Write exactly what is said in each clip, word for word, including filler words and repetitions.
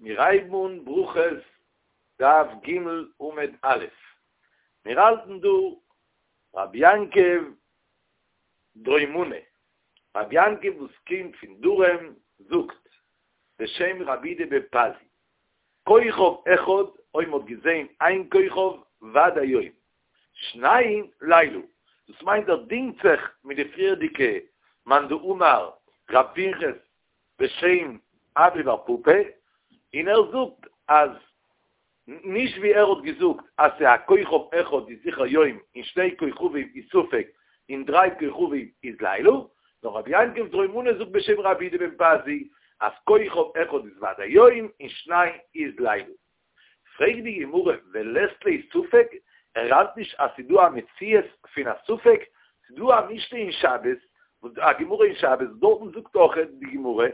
מיר הייבן אן ברכות דף ג' עמוד א', מיר האלטן דא רבי יעקב דרומנא, רבי יעקב וואס קומט פון דרום זאגט בשם רבי יהודה בן פזי, כוכב אחד, אויב מ'האט געזען איין כוכב ודאי יום, שניים לילה, דאס מיינט ער דינגט זיך מיט די פריערדיגע מאן דאמר רב פנחס בשם אבא בר פפא, און ער זאגט אז נישט ווי ער האט געזאגט אז ס'איז א כוכב אחד איז זיכער יום און שני כוכבים איז ספק און דריי כוכבים איז לילה, נאר רבי יעקב דרומנא זאגט בשם רבי יהודה בן פזי אז כוכב אחד איז ודאי יום און שניים איז לילה. פרעגט די גמרא ולית ליה ספק, ער האלט נישט אז ס'איז דא א מציאות פון א ספק, ס'איז דא א משנה אין שבת, א גמרא אין שבת, דארטן זאגט אויך די גמרא,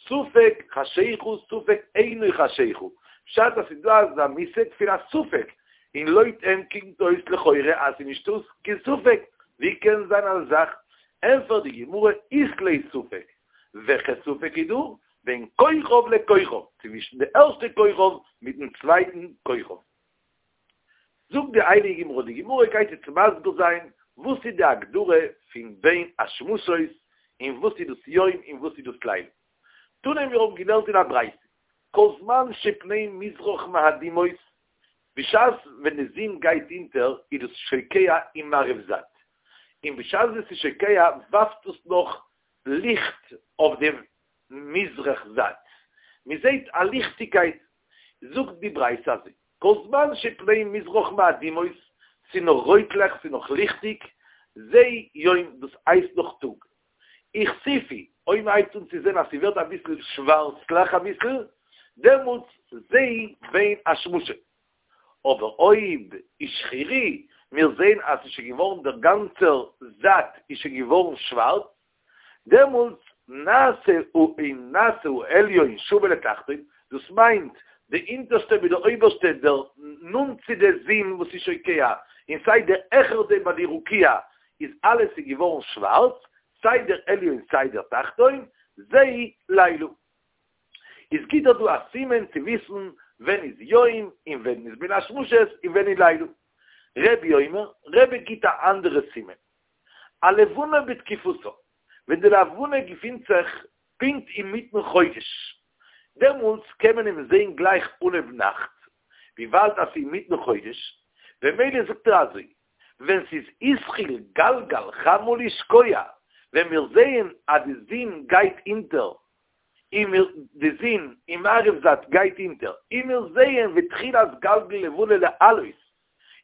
ספק חשיכה ספק אינו חשיכה, פשט אז ס'איז דא אזא מושג פון א ספק, און לויט אים קומט אויס לכאורה אז ס'איז נישטא קיין ספק, ווי קען זיין אזא זאך? ענפערט די גמרא אית ליה ספק, וועלכע ספק איז דא? בין כוכב לכוכב, צווישן די ערשטע כוכב מיטן צווייטן כוכב. זאגט די הייליגע גמרא, די גמרא גייט יעצט מסביר זיין וואס איז די הגדרה פון בין השמשות, און וואס איז דאס יום און וואס איז דאס לילה. תנא מיר האבן געלערנט אין א ברייתא, כל זמן שפני מזרח מאדימות, בשעת ווען די זון גייט אונטער איז דאס שוקע אין מערב זייט, און בשעת ווען ס'איז שוקע ווארפט עס נאך ליכט אויף די מזרח זייט, מען זעט א ליכטיגקייט, זאגט די ברייתא אזוי, כל זמן שפני מזרח מאדימות, ס'איז נאך רויטלעך, ס'איז נאך ליכטיג, זה יום, דאס הייסט נאך טאג. הכסיפו, אויב מען הייבט אן צו זען אז ס'ווערט אביסל שווארצלעך אביסל, דעמאלטס זה בין השמשות. אבער אויב השחירו, מיר זעען אז ס'איז שוין געווארן דער גאנצער זייט איז שוין געווארן שווארץ, דעמאלטס נעשה און נעשה העליון שווה לתחתון, דאס מיינט די אונטערשטע מיט די אויבערשטע, דער נאנט צו די זון וואס איז שוקע, און סיי דער העכער דעם ביי די רקיע, איז אלעס איז געווארן שווארץ, סיי דער עליון סיי דער תחתון, זה לילה. איז גיט ער דא א סימן צו וויסן ווען איז יום און ווען איז בין השמשות און ווען איז לילה. רבי אומר, רבי גיט א אנדערע סימן. הלבנה בתקופתה, ווען די לבנה געפינט זיך פונקט אינמיטן חודש, דעמאלטס קען מען אים זען גלייך אנהויב נאכט, וויבאלד אז ס'איז אינמיטן חודש, במילא זאגט ער אזוי, ווען ס'איז התחיל גלגל חמה לשקוע, ווען מיר זעען אז די זון גייט אונטער, און מיר, די זון אין מערב זייט גייט אונטער, און מיר זעען ותחילת גלגל לבנה לעלות,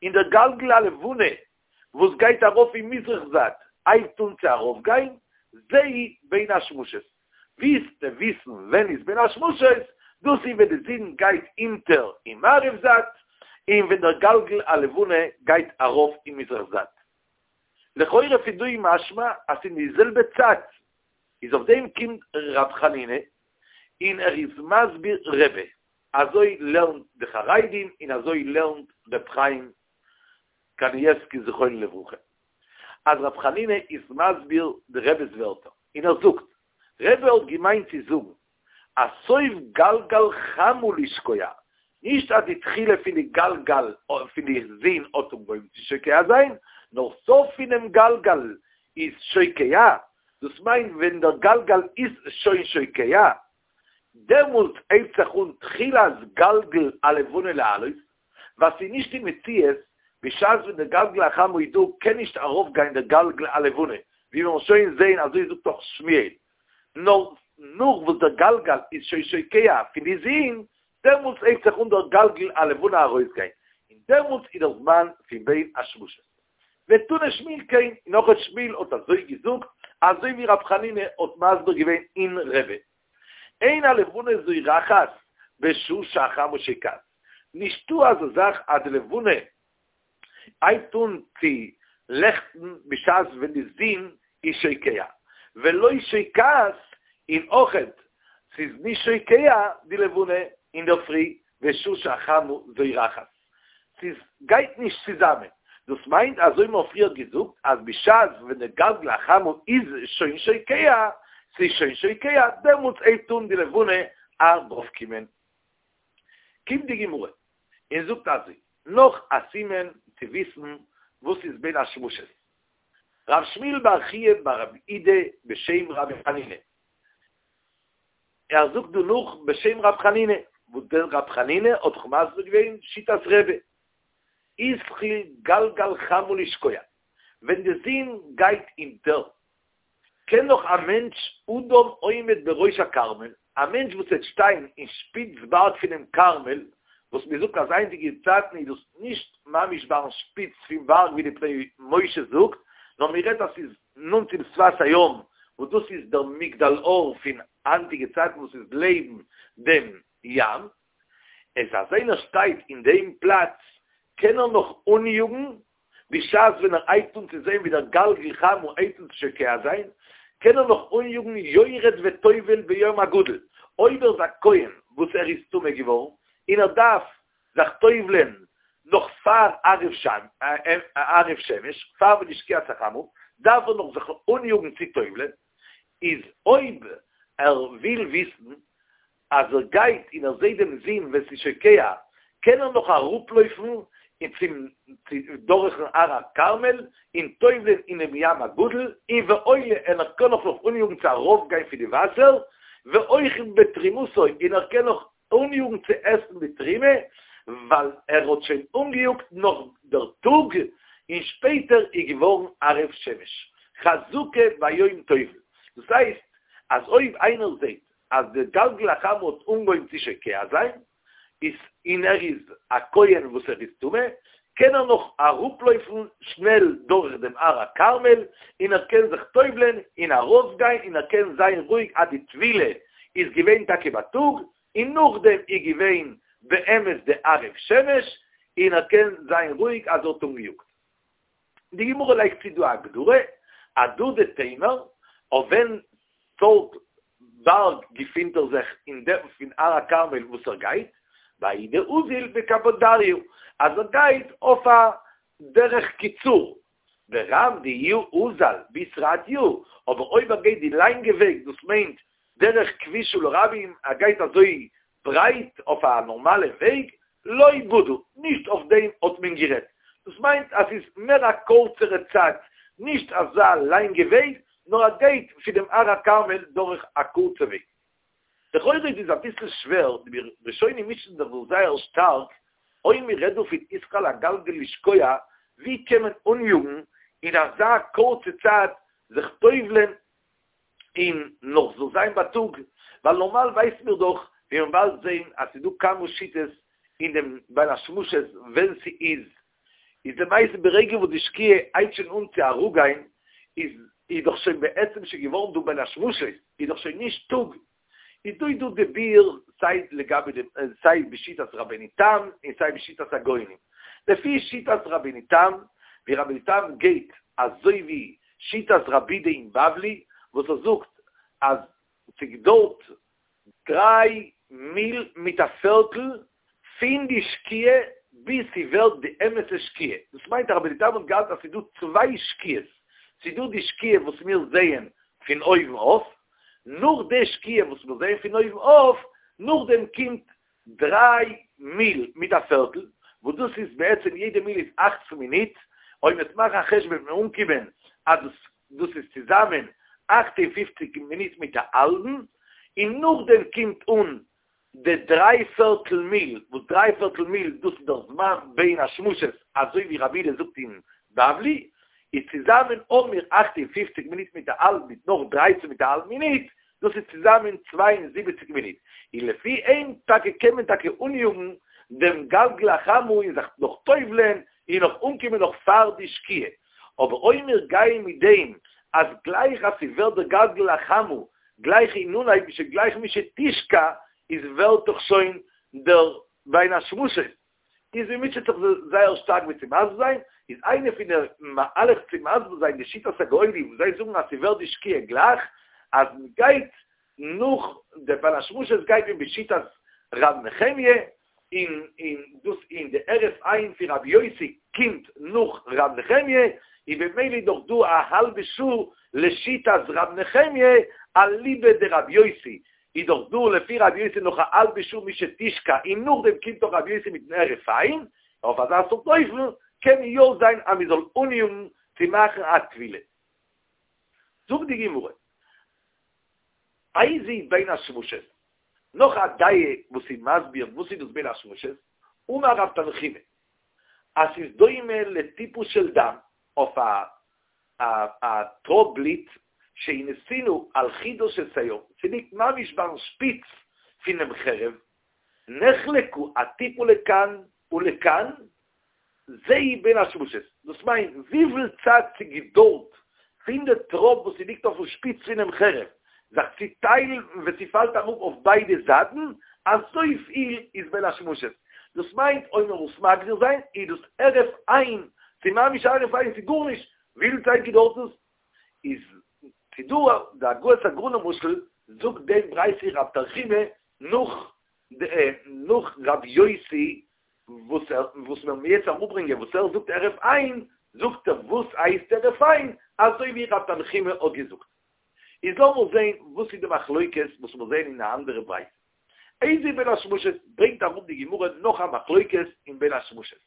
און דער גלגל הלבנה וואס גייט ארויף אין מזרח זייט הייבט אן צו ארויפגיין, זהו בין השמשות. ווילסטו וויסן ווען איז בין השמשות? דאס איז ווען די זון גייט אונטער אין מערב זייט, און ווען דער גלגל הלבנה גייט ארויף אין מזרח זייט. לכאורה פון דא איז משמע אז ס'איז אין די זעלבע צייט, איז אויף דעם קומט ר' חנינא און ער איז מסביר רבי, אזוי לערנט די חרדים און אזוי לערנט ר' חיים קנייבסקי זכרונו לברכה, אז ר' חנינא איז מסביר די רבי'ס ווערטער, און ער זאגט, רבי האט געמיינט צו זאגן אז סוף גלגל חמה לשקוע, נישט אז די תחילה פון די גלגל פון די זון האט אנגעהויבן צו שוקע זיין, נאר סוף פונעם גלגל איז שוקע, דאס מיינט ווען דער גלגל איז שוין שוקע, דעמאלטס הייבט זיך אן תחילת גלגל הלבנה לעלות, ווייל ס'איז נישט די מציאות, בשעת ווען דער גלגל החמה איז דא קען נישט ארויפגיין דער גלגל הלבנה, ווי מיר וועלן שוין זעהן אזוי זאגט דאך שמואל, נאר נאך וואס דער גלגל איז שוין שוקע פון די זון, דעמאלטס הייבט זיך אן דער גלגל הלבנה ארויסגיין, און דעמאלטס איז דער זמן פון בין השמשות. ותנא שמואל כן, און אויך שמואל האט אזוי געזאגט, אזוי ווי רב חנינא האט מסביר געווען אין רבי. אין הלבנה זורחת בשעה שהחמה שוקעת, נישטא אזא זאך אז די לבנה הייבט אן צו לעכטן בשעת ווען די זון איז שוקע, ולא שוקעת, און אויכעט ס'איז נישט שוקע די לבנה אינדערפרי בשעה שהחמה זורחת, ס'איז גייט נישט צוזאמען, דאס מיינט אזוי מ'האט פריער געזאגט אז בשעת ווען די גלגל החמה איז שוין שוקע, ס'איז שוין שוקע, דעמאלטס הייבט אן די לבנה ארויפקומען. קומט די גמרא און זאגט אזוי, נאך א סימן צו וויסן וואס איז בין השמשות. רב שמואל בר חייא בר רב אידי בשם רבי חנינא, ער זאגט דא נאך בשם רב חנינא, וואס דער רב חנינא האט דאך מסביר געווען שיטת רבי, התחיל גלגל חמה לשקוע, ווען די זון גייט אונטער, קען נאך א מענטש אדם עומד בראש הכרמל, א מענטש וואס וועט שטיין אין שפיץ בארג פונעם כרמל, וואס מען זאגט אז היינטיגע צייטן איז דאס נישט ממש ביים שפיץ פון בארג ווי די פני משה זאגט, נאר מען רעדט אז ס'איז נאנט צום שפת הים, וואס דאס איז דער מגדל אור פון היינטיגע צייטן וואס איז לעבן דעם ים, איז אז איינער שטייט אין דעם פלאץ קען ער נאך אניאגן בשעת ווען ער הייבט אן צו זען ווי דער גלגל חמה הייבט אן צו שוקע זיין, קען ער נאך אניאגן יורד וטובל ביום הגדול, אויב ער איז א כהן וואס ער איז טמא געווארן און ער דארף זיך טובל'ען נאך פאר הערב שמש, פאר ווען די שקיעת החמה, דארף ער נאך זיך אניאגן צו טובל'ען, איז אויב ער וויל וויסן אז ער גייט און ער זעט דעם זון ווען ס'איז שוקע, קען ער נאך אראפלויפן און צום דורכן הר הכרמל און טובל'ען אינעם ים הגדול, און ועולה און ער קען נאך נאך אניאגן צו ארויפגיין פון די וואסער, ואוכל בתרומתו און ער קען נאך אניאגן צו עסן די תרומה, ווייל ער האט שוין אנגעיאגט נאך דער טאג, און שפעטער איז געווארן הערב שמש. חזקה ביום טובל. דאס הייסט אז אויב איינער זעט אז די גלגל החמה האט אנגעהויבן צו שוקע זיין, איז און ער איז א כהן וואס ער איז טמא, קען ער נאך אראפלויפן שנעל דורך דעם הר הכרמל, און ער קען זיך טובל'ען און ארויפגיין און ער קען זיין רואיג אז די טבילה איז געווען טאקע בייטאג, און נאכדעם איז געווען באמת די הערב שמש, און ער קען זיין רואיג אז ער האט אנגעיאגט. די גמרא לייגט צו דא א הגדרה, אהדדי תימר, אויף ווען סארט בארג געפינט ער זיך אין דעם פון הר הכרמל וואס ער גייט, בההוא דאזיל בקפודריא, אז ער גייט אויף א דרך קיצור, ברם דאזיל בתרתיא, אבער אויב ער גייט די לאנגע וועג, דאס מיינט דרך כבישא לרבים, ער גייט אזוי ברייט אויף א נארמאלע וועג, לא בדו, נישט אויף דעם האט מען גערעדט, דאס מיינט אז ס'איז מער א קורצערע צייט, נישט אזא לאנגע וועג, נאר ער גייט פון דעם הר הכרמל דורך א קורצע וועג. לכאורה איז עס אביסל שווער, די ראשונים מישן זיך דא זייער שטארק, אויב מען רעדט דא פון התחיל הגלגל לשקוע, ווי קען מען אניאגן אין אזא קורצע צייט זיך טובל'ען און נאך זאל זיין בייטאג, ווייל נארמאל ווייסן מיר דאך, ווי מען באלד זעהן, אז ס'איז דא כמה שיטות אין דעם בין השמשות ווען ס'איז, איז למעשה ברגע וואס די שקיעה הייבט שוין אן צו אראפגיין, איז איז דאך שוין בעצם שוין געווארן דא בין השמשות, איז דאך שוין נישט טאג, איז דא איז דא די ביאור סיי לגבי די סיי בשיטת רבינו תם און סיי בשיטת הגאונים. לפי שיטת רבינו תם, ווי רבינו תם גייט אזוי ווי שיטת רבי יהודה אין בבלי וואס ער זאגט אז ס'געדויערט דריי מיל מיט א פערטל פון די שקיעה ביז ס'ווערט די אמת'ע שקיעה, דאס מיינט אז רבינו תם האט געהאלטן אז ס'דא צוויי שקיעות, ס'דא די שקיעה וואס מיר זעען פון אויבן אויף, נאך די שקיעה וואס מיר זעען פון אויבן אויף, נאכדעם קומט דריי מיל מיט א פערטל, וואס דאס איז בעצם יעדע מיל איז אַכצן מינוט, אויב מ'וועט מאכן א חשבון וועט מען אנקומען אז דאס דאס איז צוזאמען אַכט און פֿופֿציק מינוט מיט א האלבן, און נאכדעם קומט אן די דריי פערטל מיל, וואס דריי פערטל מיל דאס איז דער זמן בין השמשות אזוי ווי רבי יהודה זאגט אין בבלי, איז צוזאמען האבן מיר אַכט און פֿופֿציק מינוט מיט א האלב מיט נאך דרײַצן מיט א האלב מינוט, דאס איז צוזאמען צוויי און זיבעציק מינוט, און לפי אים טאקע קען מען טאקע אניאגן דעם גלגל החמה און זיך נאך טובל'ען און נאך אנקומען נאך פאר די שקיעה, אבער אויב מיר גייען מיט דעם אז גלייך אז ס'ווערט דער גלגל החמה גלייך אין אנהייב גלייך משתשקע איז ווערט דאך שוין דער בין השמשות, איז מען מוטשעט זיך זייער שטארק ווי צו מסביר זיין, איז איינע פון די מהלך צו מסביר זיין די שיטת הגאונים וואס זיי זאגן אז ס'ווערט די שקיעה גלייך אז מ'גייט נאך די בין השמשות גייט מען בשיטת ר' נחמיה, און און דאס און די הרף עין פון רבי יוסי קומט נאך ר' נחמיה, און במילא איז דאך דא א האלבע שעה לשיטת ר' נחמיה אליבא דרבי יוסי, איז דאך דא לפי רבי יוסי נאך א האלבע שעה משתשקע און נאכדעם קומט דאך רבי יוסי מיטן הרף עין, אויף אזא סארט אופן קען יא זיין אז מען זאל אניאגן צו מאכן א טבילה. זאגט די גמרא, איזוהי בין השמשות, נאך א דעה וואס איז מסביר וואס איז דאס בין השמשות, אמר רב תנחומא, אז ס'איז דומה לטיפה של דם, אויף א א טראפ בלוט, שהיא נתונה על חודה של שער, ס'ליגט ממש ביים שפיץ פונעם חרב, נחלקה הטיפה לכאן ולכאן, זוהי בין השמשות, דאס מיינט וויפיל צייט ס'געדויערט פון די טראפ וואס ס'ליגט אויפן שפיץ פונעם חרב זיך צו טיילן ווען ס'פאלט אראפ אויף ביידע זייטן, אזויפיל איז בין השמשות. דאס מיינט אויב מען מוז מגדיר זיין איז דאס הרף עין, ס'איז ממש הרף עין, ס'איז גארנישט, וויפיל צייט געדויערט עס? איז ס'דא די הגהות הגר"א למשל זאגט דעם ברייתא רב תנחומא נאך נאך רב יוסי וואס ער וואס מיר וועלן יעצט אראפברענגען וואס ער זאגט הרף עין, זאגט ער וואס הייסט הרף עין, אזוי ווי רב תנחומא האט געזאגט. איז לאמיר זעהן וואס איז די מחלוקת וואס מיר זעהן אין א אנדערע ברייתא. איזוהי בין השמשות ברענגט אראפ די גמרא נאך א מחלוקת אין בין השמשות.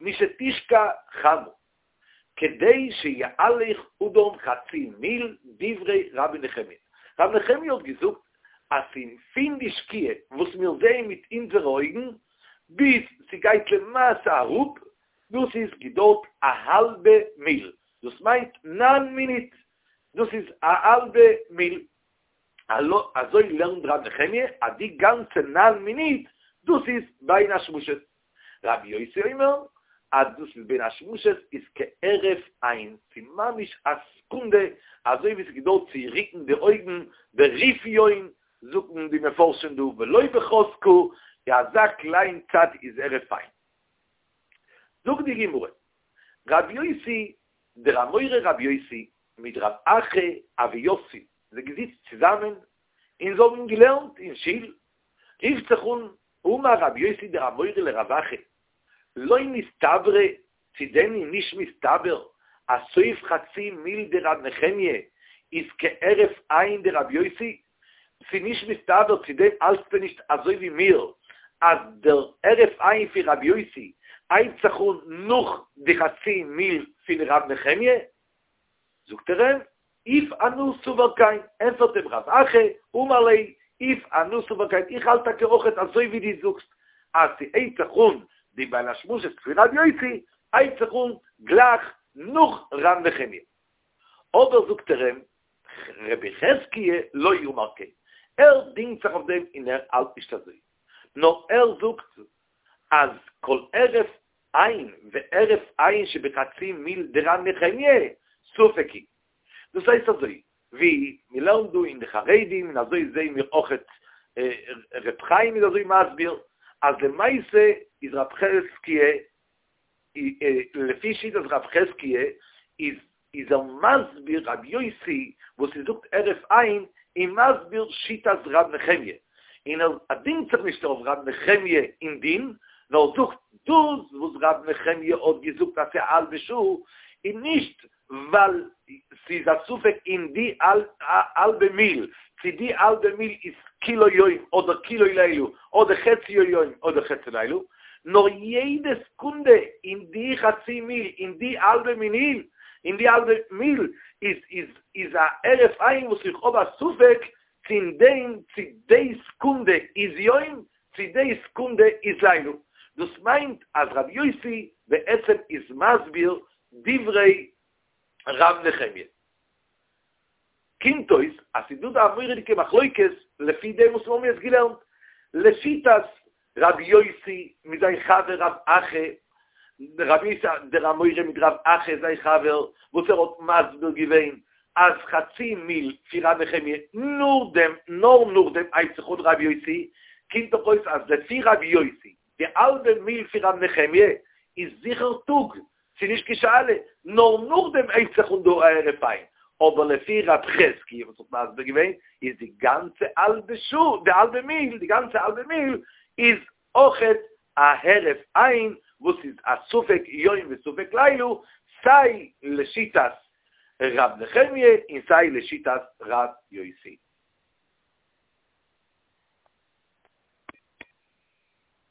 משתשקע חמה כדי שיהלך אדם חצי מיל דברי רבי נחמיה. רבי נחמיה האט געזאגט אז פון די שקיעה וואס מיר זעען מיט אונזערע אויגן ביז ס'גייט למעשה אראפ, דאס איז געדויערט א האלבע מיל, דאס מיינט נײַן מינוט, דאס איז א האלבע מיל. אזוי לערנט רבי נחמיה אז די גאנצע נײַן מינוט דאס איז בין השמשות. רבי יוסי אומר אז דאס איז בין השמשות איז כהרף עין, ס'איז ממש א סעקונדע, אזוי ווי ס'געדויערט צו רוקן די אויגן ברפיון, זאגן די מפרשים דא ולא בחזקה, די אזא קליין צייט איז הרף עין. זאגט די גמרא, רבי יוסי, דער אמורא רבי יוסי מיט רב אחא הוו יתבי, זיי געזיצט צוזאמען און זיי האבן געלערנט אין שול, רופט זיך אן אמר רבי יוסי דער אמורא לרב אחא, לא מסתברא, צו דען איז נישט מסתבר אז סוף חצי מיל דרב נחמיה איז כהרף עין דרבי יוסי? ס'איז נישט מסתבר, צו דען האלטסטו נישט אזוי ווי מיר אז דער הרף עין פון רבי יוסי הייבט זיך אן נאך די חצי מיל פון רב נחמיה? זאגט ער אים, אוף אנא סבר כן, ענפערט אים רב אחא, אמר ליה, אוף אנא סבר כן, איך האלט טאקע אויכעט אזוי ווי דו זאגסט, אז ס'הייבט זיך אן די בין השמשות פון ר' יוסי, הייבט זיך אן גלייך נאך ר' נחמיה. אבער זאגט ער אים, רבי חזקיה לא אמר כן, ער דינגט זיך אויף דעם און ער האלט נישט אזוי, נאר ער זאגט אז כל הרף עין והרף עין שבחצי מיל דר' נחמיה ספק הוא. דאס הייסט אזוי ווי מ'לערנט דא אין די חרדים און אזוי זעהן מיר אויכעט ר' חיים איז אזוי מסביר אז למעשה איז רב חזקיה לפי שיטת רב חזקיה איז איז ער מסביר רבי יוסי וואס ער זאגט הרף עין איז מסביר שיטת ר' נחמיה און ער דינגט זיך נישט אויף ר' נחמיה אין דין נאר זאגט דאס וואס ר' נחמיה האט געזאגט אז ס'איז א האלבע שעה איז נישט ווייל ס'איז א ספק אין די האלבע מיל צו די האלבע מיל איז כולו יום אדער כולו לילה אדער חציו יום אדער חציו לילה, נאר יעדע סעקונדע אין די חצי מיל אין די האלבע מיל אין די האלבע מיל איז איז איז א הרף עין וואס איך האב א ספק צו אין דעם צו די סעקונדע איז יום צו די סעקונדע איז לילה. דאס מיינט אז רבי יוסי בעצם איז מסביר דברי ר' נחמיה. קומט אויס אז ס'איז דא דא א מורא'דיגע מחלוקת לפי דעם וואס מיר האבן יעצט געלערנט, לשיטת רבי יוסי מיט זיין חבר רב אחא, רבי יוסי דער אמורא מיט רב אחא זיין חבר, וואס ער האט מסביר געווען אז חצי מיל פון ר' נחמיה נאכדעם, נאר נאכדעם הייבט זיך אן רבי יוסי, קומט דאך אויס אז לפי רבי יוסי די האלבע מיל פון ר' נחמיה איז זיכער טאג, ס'איז נישט קיין שאלה, נאר נאכדעם הייבט זיך אן דא א הרף עין, אבער לפי רב חזקיה וואס האט מסביר געווען איז די גאנצע האלבע שעה, די האלבע מיל, די גאנצע האלבע מיל איז אויכעט א הרף עין וואס איז א ספק יום וספק לילה, סיי לשיטת ר' נחמיה און סיי לשיטת ר' יוסי.